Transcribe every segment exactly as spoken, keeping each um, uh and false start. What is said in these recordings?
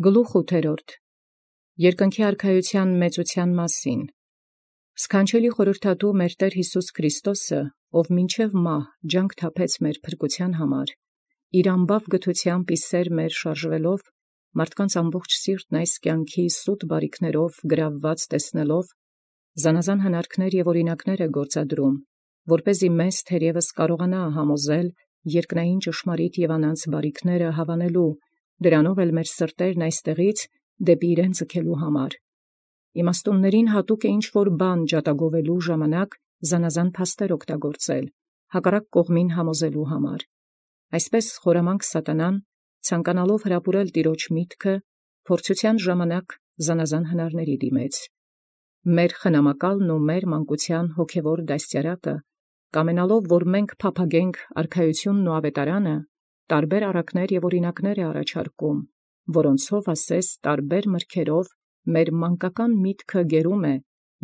Գլուխ ութերորդ. Երկնքի արքայութեան մեծութեան մասին. Սքանչելի խորհրդատու մեր Տէր Յիսուս Քրիստոսը, ով մինչև մահ ջանք թափեց մեր փրկութեան համար, իր ամբավ գթութեամբ ի սեր մեր շարժվելով, մարդկանց ամբողջ սիրտն այս կյանքի սուտ բարիքներով գրավված տեսնելով, զանազան հնարքներ և օրինակներ է գործադրում, որպեսզի մեզ թերևս կարողանա համոզել երկնային ճշմարիտ և անանց բարիքները հավանելու, դրանով էլ մեր սրտերն այստեղից դեպի իրեն ձգելու համար։ Իմաստուններին հատուկ է ինչ-որ բան ջատագովելու ժամանակ զանազան փաստեր օգտագործել, հակառակ կողմին համոզելու համար։ Այսպես խորամանկ սատանան, ցանկանալով հրապուրել տիրոջ միտքը, փորձութեան ժամանակ զանազան հնարների դիմեց։ Մեր խնամակալն ու մեր մանկութեան հոգևոր դաստիարակը, կամենալով, որ մենք փափագենք արքայությունն ու ավետարանը, տարբեր առակներ և օրինակներ է առաջարկում, որոնցով ասես տարբեր մրգերով մեր մանկական միտքը գերում է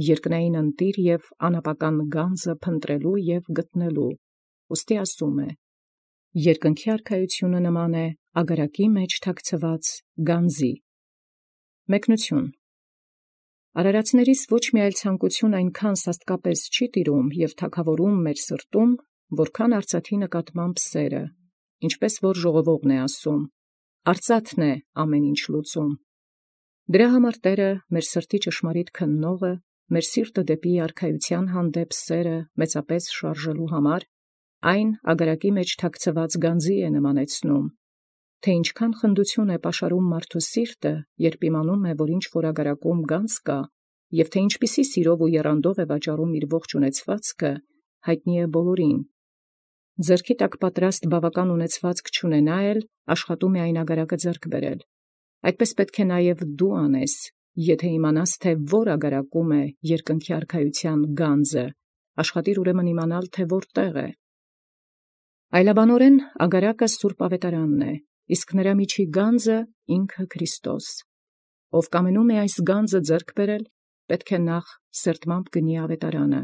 երկնային ընտիր և անապական գանձը փնտրելու և գտնելու, ուստի ասում է. երկնքի արքայությունը նման է ագարակի մեջ թաքցված գանձի։ Մեկնություն. Արարածներիս ոչ մի այլ ցանկություն այնքան սաստկապես չի տիրում և թագավորում մեր սրտում, որքան արծաթի նկատմամբ սերը, ինչպես որ ժողովողն է ասում. արծաթն է ամեն ինչ լուծում։ Դրա համար Տէրը, մեր սրտի ճշմարիտ քննողը, մեր սիրտը դեպի արքայութեան հանդեպ սերը մեծապես շարժելու համար, այն ագարակի մեջ թաքցված գանձի է նմանեցնում, թե ինչքան խնդություն է պաշարում մարդու սիրտը, երբ իմանում է, որ ինչ-որ ագարակում գանձ կա, և թե ինչպիսի սիրով ու եռանդով է վաճառում իր ողջ ունեցվածքը, հայտնի է բոլորին։ Ձեռքի տակ պատրաստ բավական ունեցվածք չունենա էլ, աշխատում է այն ագարակը ձեռք բերել։ Այդպես պետք է նաև դու անես, եթե իմանաս, թե որ ագարակում է երկնքի արքայութեան գանձը, աշխատիր ուրեմն իմանալ, թե որտեղ է։ Այլաբանորեն ագարակը սուրբ ավետարանն է, իսկ նրա միջի գանձը ինքը Քրիստոս։ Ով կամենում է այս գանձը ձեռք բերել, պետք է նախ սերտմամբ գնի ավետարանը,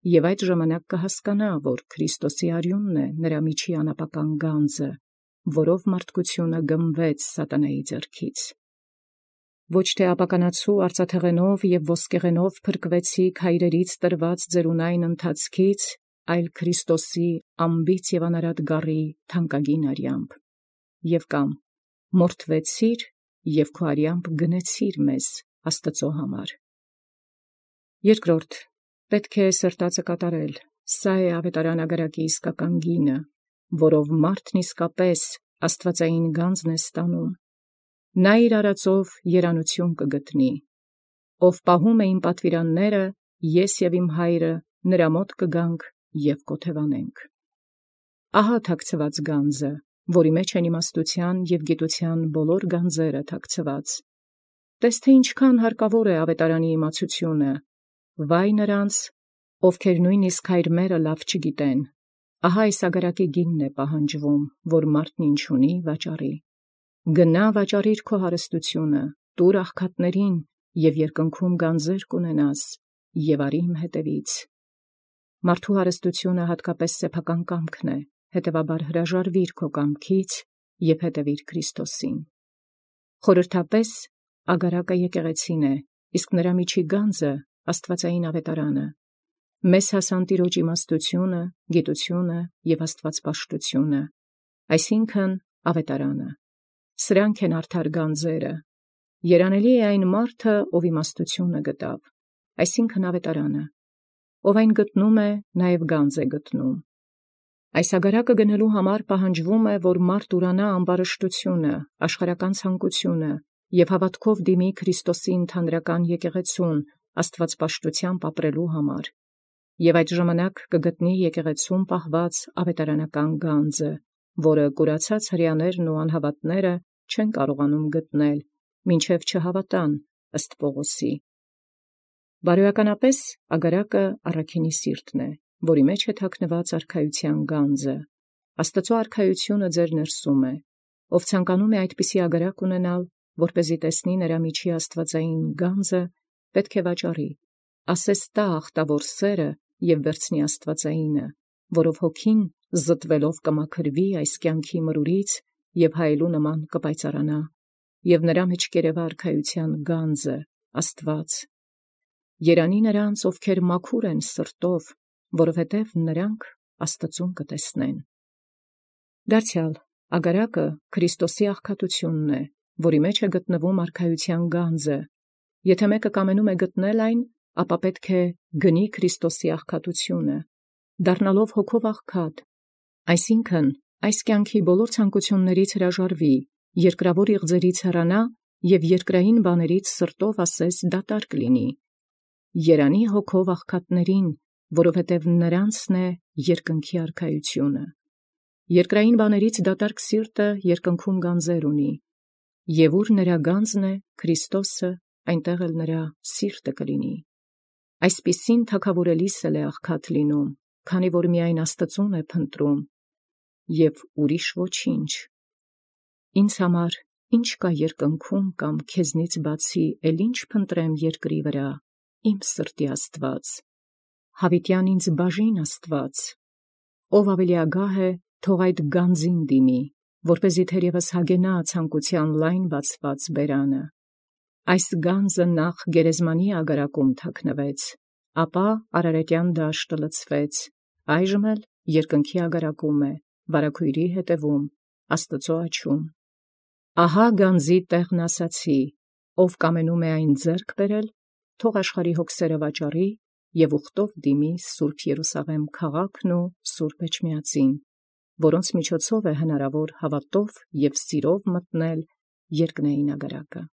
և այդ ժամանակ կհասկանա, որ Քրիստոսի արյունն է նրա միջի անապական գանձը, որով մարդկությունը գմվեց սատանայի ձեռքից։ Ոչ թե ապականացու արծաթեղենով և ոսկեղենով փրկվեցիք հայրերից տրված ձերունայն ընթացքից, այլ Քրիստոսի անբիծ և անարատ գառի թանկագին արյամբ, և կամ մորթվեցիր և քո արյամբ գնեցիր մեզ Աստծո համար։ Երկրորդ. պետք է սրտածը կատարել, սա է ավետարան ագարակի իսկական գինը, որով մարդն իսկապես աստվածային գանձն է ստանում։ Նա իր արածով երանություն կգտնի։ Ով պահում է իմ պատվիրանները, ես և իմ հայրը նրա մոտ կգանք և կոթևանենք։ Ահա թաքցված գանձը, որի մեջ են իմաստութեան և գիտութեան բոլոր գանձերը թաքցված։ Տես թե ինչքան հարկավոր է ավետարանի իմացությունը, վայ նրանց, ովքեր նույնիսկ հայրմերը լավ չգիտեն, ահա այս ագարակի գինն է պահանջվում, որ մարդն ինչ ունի վաճառի։ Գնա վաճառիր քո հարստությունը, տուր աղքատներին, և երկնքում գանձեր կունենաս, և արի իմ հետևից։ Մարդու հարստությունը հատկապես սեփական կամքն է, հետևաբար հրաժարվիր քո կամքից և հետևիր Քրիստոսին։ Խորհրդապես ագարակը եկեղեցին է, իսկ նրա միջի գանձը աստվածային ավետարանը։ Մեզ հասան Տիրոջ իմաստությունը, գիտությունը և աստվածպաշտությունը, այսինքն ավետարանը։ Սրանք են արդար գանձերը։ Երանելի է այն մարդը, ով իմաստությունը գտավ, այսինքն ավետարանը։ Ով այն գտնում է, նաև գանձ է գտնում։ Այս ագարակը գնելու համար պահանջվում է, որ մարդ ուրանա ամբարշտությունը, աշխարհական ցանկությունը և հավատքով դիմի Քրիստոսի ընդհանրական եկեղեցուն աստվածպաշտությամբ ապրելու համար, և այդ ժամանակ կգտնի եկեղեցում պահված ավետարանական գանձը, որը կուրացած հրեաներն ու անհավատները չեն կարողանում գտնել, մինչև չհավատան ըստ Պողոսի։ Բարոյականապես ագարակը առաքինի սիրտն է, որի մեջ է թաքնված արքայության գանձը։ Աստծո արքայությունը ձեր ներսում է, ով ցանկանում է այդպիսի ագարակ ունենալ, որպեսզի տեսնի նրա միջի աստվածային գանձը, պետք է վաճառի, ասես տա ախտավոր սերը և վերցնի աստվածայինը, որով հոգին զտվելով կմաքրվի այս կյանքի մրուրից և հայելու նման կպայծառանա և նրա մեջ կերևա արքայության գանձը, Աստված։ Երանի նրանց, ովքեր մաքուր են սրտով, որովհետև նրանք Աստծուն կտեսնեն։ Դարձյալ ագարակը Քրիստոսի աղքատությունն է, որի մեջ է գտնվում արքայության գանձը։ Եթե մեկը կամենում է գտնել այն, ապա պետք է գնի Քրիստոսի աղքատությունը, դառնալով հոգով աղքատ, այսինքն այս կյանքի բոլոր ցանկություններից հրաժարվի, երկրավոր իղձերից հեռանա և երկրային բաներից սրտով ասես դատարկ լինի։ Երանի հոգով աղքատներին, որովհետև նրանցն է երկնքի արքայությունը։ Երկրային բաներից դատարկ սիրտը երկնքում գանձեր ունի, և ուր նրա գանձն է Քրիստոսը, այնտեղ էլ նրա սիրտը կլինի։ Այսպիսին թագավորելիս էլ է աղքատ լինում, քանի որ միայն Աստծուն է փնտրում և ուրիշ ոչինչ։ Ինձ համար ի՞նչ կա երկնքում կամ քեզնից բացի, էլ ի՞նչ փնտրեմ երկրի վրա, իմ սրտի Աստված, հավիտյան ինձ բաժին Աստված, ով ավելի ագահ է, թող այդ գանձին դիմի, որպեսզի թերևս հագենա ցանկության լայն բացված բերանը։ Այս գանձը նախ գերեզմանի ագարակում թաքնվեց, ապա Արարատյան դաշտը լցվեց, այժմ էլ երկնքի ագարակում է, վարագույրի հետևում, Աստծու աջում։ Ահա գանձի տեղն ասացի, ով կամենում է այն ձեռք բերել, թող աշխարհի հոգսերը վաճառի և ուխտով դիմի սուրբ Երուսաղեմ քաղաքն ու սուրբ Էջմիածին, որոնց միջոցով է հնարավոր հավատով և սիրով մտնել երկնային ագարակը։